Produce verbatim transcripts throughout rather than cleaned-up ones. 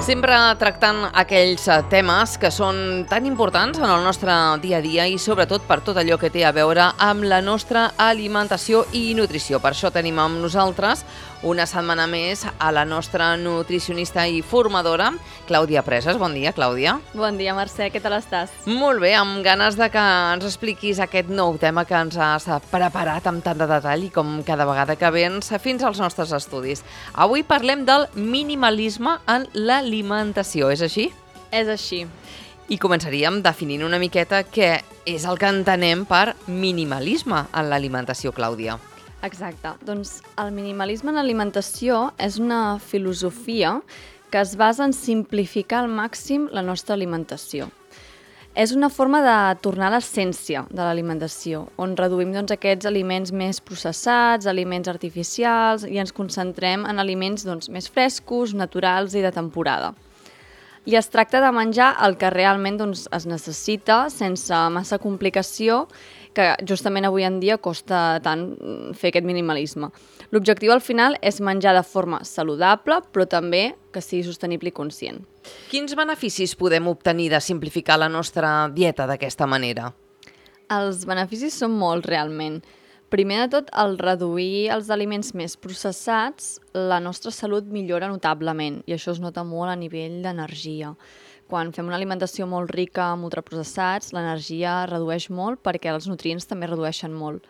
Sempre tractant aquells temes que són tan importants en el nostre dia a dia i sobretot per tot allò que té a veure amb la nostra alimentació i nutrició. Per això tenim amb nosaltres una setmana més a la nostra nutricionista i formadora, Clàudia Presas. Bon dia, Clàudia. Bon dia, Mercè. Què tal estàs? Molt bé, amb ganes de que ens expliquis aquest nou tema que ens has preparat amb tant de detall i com cada vegada que vens fins als nostres estudis. Avui parlem del minimalisme en l'alimentació, és així? És així. I començaríem definint una miqueta què és el que entenem per minimalisme en l'alimentació, Clàudia. Exacte. Doncs el minimalisme en l'alimentació és una filosofia que es basa en simplificar al màxim la nostra alimentació. És una forma de tornar a l'essència de l'alimentació, on reduïm doncs, aquests aliments més processats, aliments artificials, i ens concentrem en aliments doncs, més frescos, naturals i de temporada. I es tracta de menjar el que realment doncs, es necessita, sense massa complicació, que justament avui en dia costa tant fer aquest minimalisme. L'objectiu al final és menjar de forma saludable, però també que sigui sostenible i conscient. Quins beneficis podem obtenir de simplificar la nostra dieta d'aquesta manera? Els beneficis són molts, realment. Primer de tot, al reduir els aliments més processats, la nostra salut millora notablement, i això es nota molt a nivell d'energia. Quan fem una alimentació molt rica amb ultraprocessats, l'energia redueix molt perquè els nutrients també redueixen molt.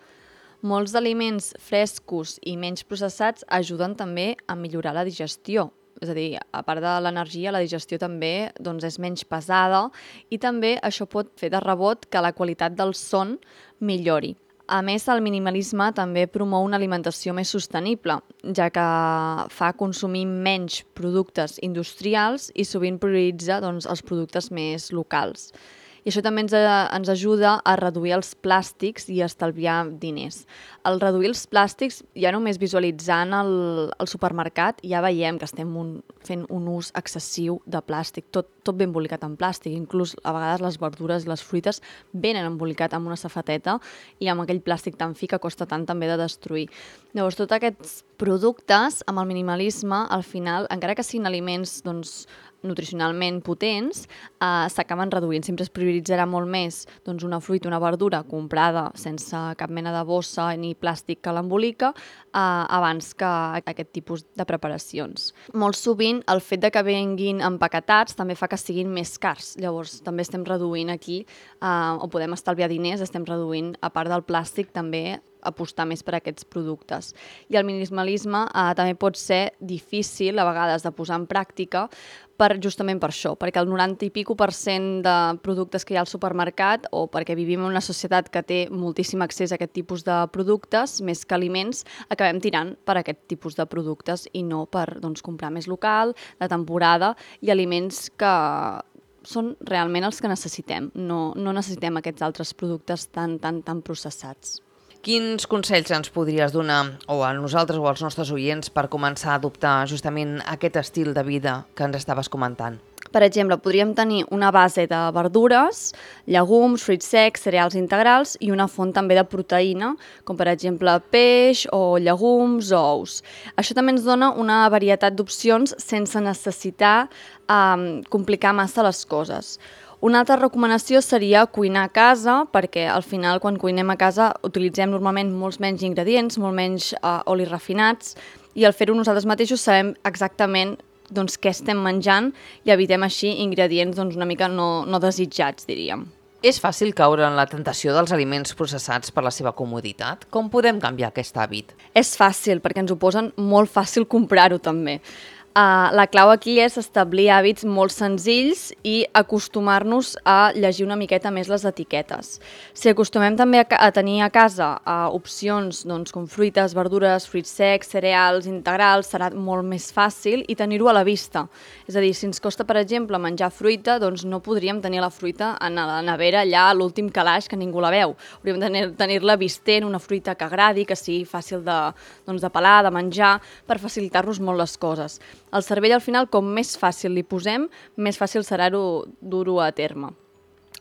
Molts aliments frescos i menys processats ajuden també a millorar la digestió. És a dir, a part de l'energia, la digestió també doncs, és menys pesada i també això pot fer de rebot que la qualitat del son millori. A més, el minimalisme també promou una alimentació més sostenible, ja que fa consumir menys productes industrials i sovint prioritza doncs, els productes més locals. I això també ens, ens ajuda a reduir els plàstics i a estalviar diners. Al reduir els plàstics, ja només visualitzant el, el supermercat, ja veiem que estem un, fent un ús excessiu de plàstic, tot, tot ben embolicat en plàstic. Inclús a vegades les verdures i les fruites venen embolicat amb una safateta i amb aquell plàstic tan fi que costa tant també de destruir. Llavors, tots aquests productes, amb el minimalisme, al final, encara que siguin aliments doncs, nutricionalment potents, eh, s'acaben reduint. Sempre es prioritzarà molt més doncs, una fruita, una verdura comprada sense cap mena de bossa ni plàstic que l'embolica eh, abans que aquest tipus de preparacions. Molt sovint el fet de que venguin empaquetats també fa que siguin més cars. Llavors també estem reduint aquí, eh, o podem estalviar diners, estem reduint, a part del plàstic, també apostar més per aquests productes. I el minimalisme eh, també pot ser difícil a vegades de posar en pràctica per, justament per això, perquè el noranta i pico per cent de productes que hi ha al supermercat, o perquè vivim en una societat que té moltíssim accés a aquest tipus de productes, més que aliments, acabem tirant per aquest tipus de productes i no per doncs, comprar més local, de temporada, i aliments que són realment els que necessitem. No, no necessitem aquests altres productes tan, tan, tan processats. Quins consells ens podries donar, o a nosaltres o als nostres oients, per començar a adoptar justament aquest estil de vida que ens estaves comentant? Per exemple, podríem tenir una base de verdures, llegums, fruits secs, cereals integrals i una font també de proteïna, com per exemple peix o llegums o ous. Això també ens dona una varietat d'opcions sense necessitar eh, complicar massa les coses. Una altra recomanació seria cuinar a casa, perquè al final quan cuinem a casa utilitzem normalment molts menys ingredients, molt menys eh, olis refinats, i al fer-ho nosaltres mateixos sabem exactament doncs, què estem menjant i evitem així ingredients doncs, una mica no, no desitjats, diríem. És fàcil caure en la tentació dels aliments processats per la seva comoditat? Com podem canviar aquest hàbit? És fàcil, perquè ens ho posen molt fàcil comprar-ho també. Uh, la clau aquí és establir hàbits molt senzills i acostumar-nos a llegir una miqueta més les etiquetes. Si acostumem també a, a tenir a casa uh, opcions doncs, com fruites, verdures, fruits secs, cereals, integrals, serà molt més fàcil i tenir-ho a la vista. És a dir, si ens costa, per exemple, menjar fruita, doncs no podríem tenir la fruita a la nevera allà a l'últim calaix que ningú la veu. Hauríem de tenir-la vistent, una fruita que agradi, que sigui fàcil de, doncs, de pelar, de menjar, per facilitar-nos molt les coses. El cervell, al final, com més fàcil li posem, més fàcil serà dur-ho a terme.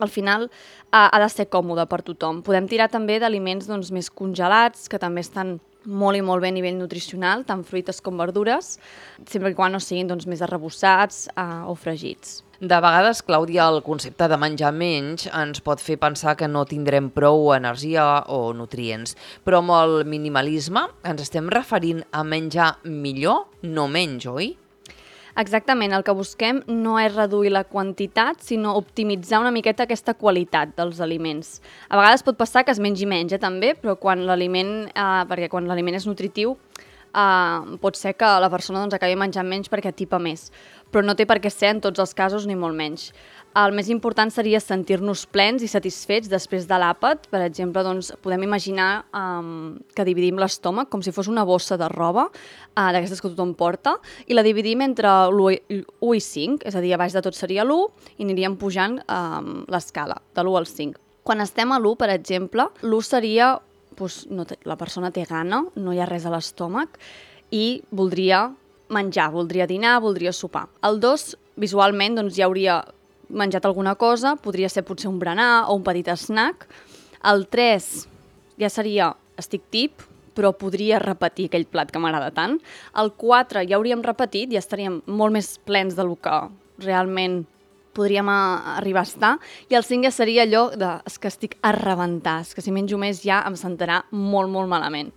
Al final, ha de ser còmode per tothom. Podem tirar també d'aliments doncs, més congelats, que també estan molt i molt bé a nivell nutricional, tant fruites com verdures, sempre que quan no siguin doncs, més arrebossats uh, o fregits. De vegades, Clàudia, el concepte de menjar menys ens pot fer pensar que no tindrem prou energia o nutrients, però amb el minimalisme ens estem referint a menjar millor, no menys, oi? Exactament, el que busquem no és reduir la quantitat, sinó optimitzar una miqueta aquesta qualitat dels aliments. A vegades pot passar que es mengi menys, eh, també, però quan l'aliment, eh, perquè quan l'aliment és nutritiu, eh, pot ser que la persona doncs, acabi menjant menys perquè atipa més, però no té per què ser en tots els casos ni molt menys. El més important seria sentir-nos plens i satisfets després de l'àpat. Per exemple, doncs, podem imaginar um, que dividim l'estómac com si fos una bossa de roba, uh, d'aquestes que tothom porta, i la dividim entre l'u i cinc, és a dir, a baix de tot seria l'u, i aniríem pujant um, l'escala, de l'u al cinc. Quan estem a l'u, per exemple, l'u seria, doncs, no té, la persona té gana, no hi ha res a l'estómac, i voldria menjar, voldria dinar, voldria sopar. El dos, visualment, doncs, ja hauria menjat alguna cosa, podria ser potser un berenar o un petit snack. El tres ja seria estic tip, però podria repetir aquell plat que m'agrada tant. El quatre ja hauríem repetit, ja estaríem molt més plens del que realment podríem arribar a estar. I el cinc ja seria allò de és que estic a rebentar, és que si menjo més ja em sentarà molt, molt malament.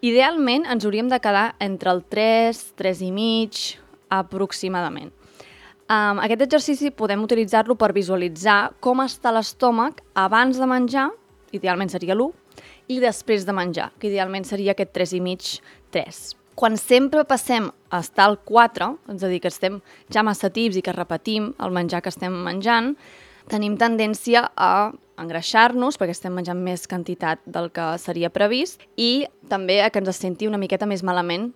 Idealment ens hauríem de quedar entre el tres, tres i mig, aproximadament. Um, aquest exercici podem utilitzar-lo per visualitzar com està l'estómac abans de menjar, idealment seria l'u, i després de menjar, que idealment seria aquest tres i mig, tres. Quan sempre passem a estar al quatre, és a dir, que estem ja massa tips i que repetim el menjar que estem menjant, tenim tendència a engreixar-nos perquè estem menjant més quantitat del que seria previst i també a que ens senti una miqueta més malament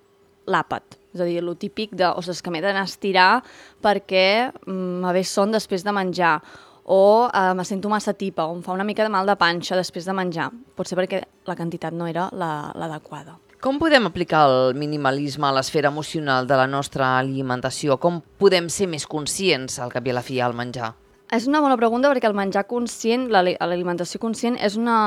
l'àpat. És a dir, el típic de, ostres, que m'he d'anar a estirar perquè me ve son després de menjar, o eh, me sento massa tipa, o em fa una mica de mal de panxa després de menjar. Pot ser perquè la quantitat no era l'adequada. Com podem aplicar el minimalisme a l'esfera emocional de la nostra alimentació? Com podem ser més conscients al cap i a la fi al menjar? És una bona pregunta perquè el menjar conscient, l'alimentació conscient, és una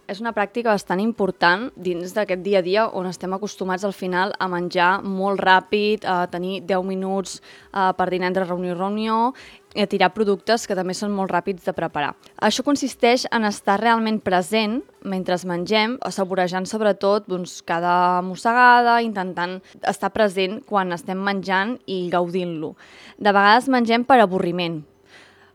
És una pràctica bastant important dins d'aquest dia a dia on estem acostumats al final a menjar molt ràpid, a tenir deu minuts uh, per dinar entre reunió i reunió i a tirar productes que també són molt ràpids de preparar. Això consisteix en estar realment present mentre mengem, assaborejant sobretot doncs, cada mossegada, intentant estar present quan estem menjant i gaudint-lo. De vegades mengem per avorriment,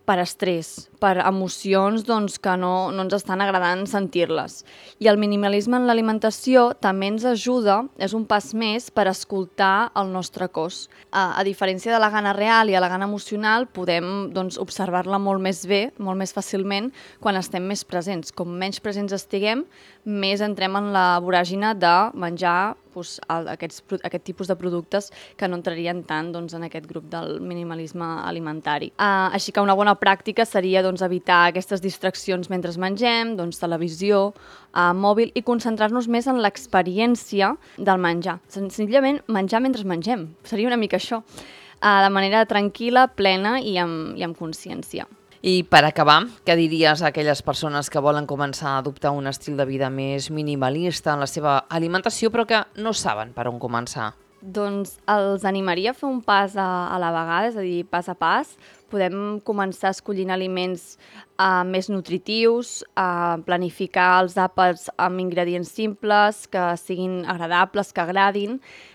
per estrès, per emocions doncs, que no, no ens estan agradant sentir-les. I el minimalisme en l'alimentació també ens ajuda, és un pas més per escoltar el nostre cos. A, a diferència de la gana real i a la gana emocional, podem doncs, observar-la molt més bé, molt més fàcilment, quan estem més presents. Com menys presents estiguem, més entrem en la voràgina de menjar doncs, aquests, aquest tipus de productes que no entrarien tant doncs, en aquest grup del minimalisme alimentari. Uh, així que una bona pràctica seria doncs, evitar aquestes distraccions mentre mengem, doncs, televisió, uh, mòbil, i concentrar-nos més en l'experiència del menjar. Senzillament menjar mentre mengem, seria una mica això, uh, de manera tranquil·la, plena i amb, i amb consciència. I per acabar, què diries a aquelles persones que volen començar a adoptar un estil de vida més minimalista en la seva alimentació però que no saben per on començar? Doncs els animaria a fer un pas a, a la vegada, és a dir, pas a pas. Podem començar escollint aliments uh, més nutritius, uh, planificar els àpats amb ingredients simples, que siguin agradables, que agradin,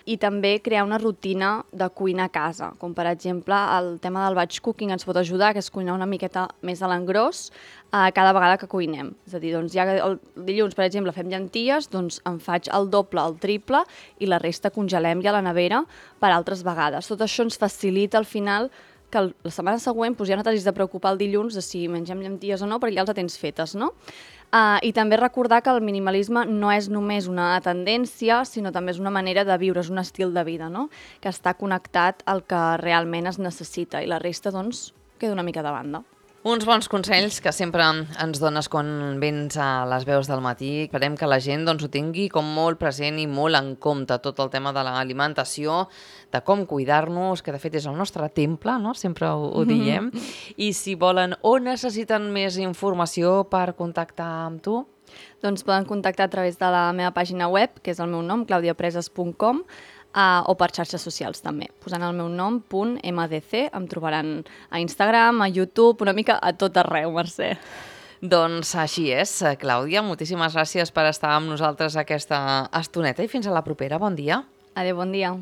i també crear una rutina de cuina a casa, com per exemple el tema del batch cooking ens pot ajudar, que és cuinar una miqueta més a l'engròs uh, cada vegada que cuinem. És a dir, doncs, ja que el dilluns, per exemple, fem llenties, doncs em faig el doble, el triple, i la resta congelem ja a la nevera per altres vegades. Tot això ens facilita al final que la setmana següent doncs, ja no t'hagis de preocupar el dilluns de si mengem llenties o no, perquè ja les tens fetes, no? Uh, I també recordar que el minimalisme no és només una tendència, sinó també és una manera de viure, és un estil de vida, no? Que està connectat al que realment es necessita i la resta, doncs, queda una mica de banda. Uns bons consells que sempre ens dones quan vens a les veus del matí. Esperem que la gent doncs, ho tingui com molt present i molt en compte tot el tema de l'alimentació, de com cuidar-nos, que de fet és el nostre temple, no? Sempre ho, ho diem. I si volen o necessiten més informació per contactar amb tu? Doncs poden contactar a través de la meva pàgina web, que és el meu nom, claudia preses punt com, uh, o per xarxes socials també. Posant el meu nom, punt M D C, em trobaran a Instagram, a YouTube, una mica a tot arreu, Mercè. Doncs així és, Clàudia. Moltíssimes gràcies per estar amb nosaltres aquesta estoneta i fins a la propera. Bon dia. Adéu, bon dia.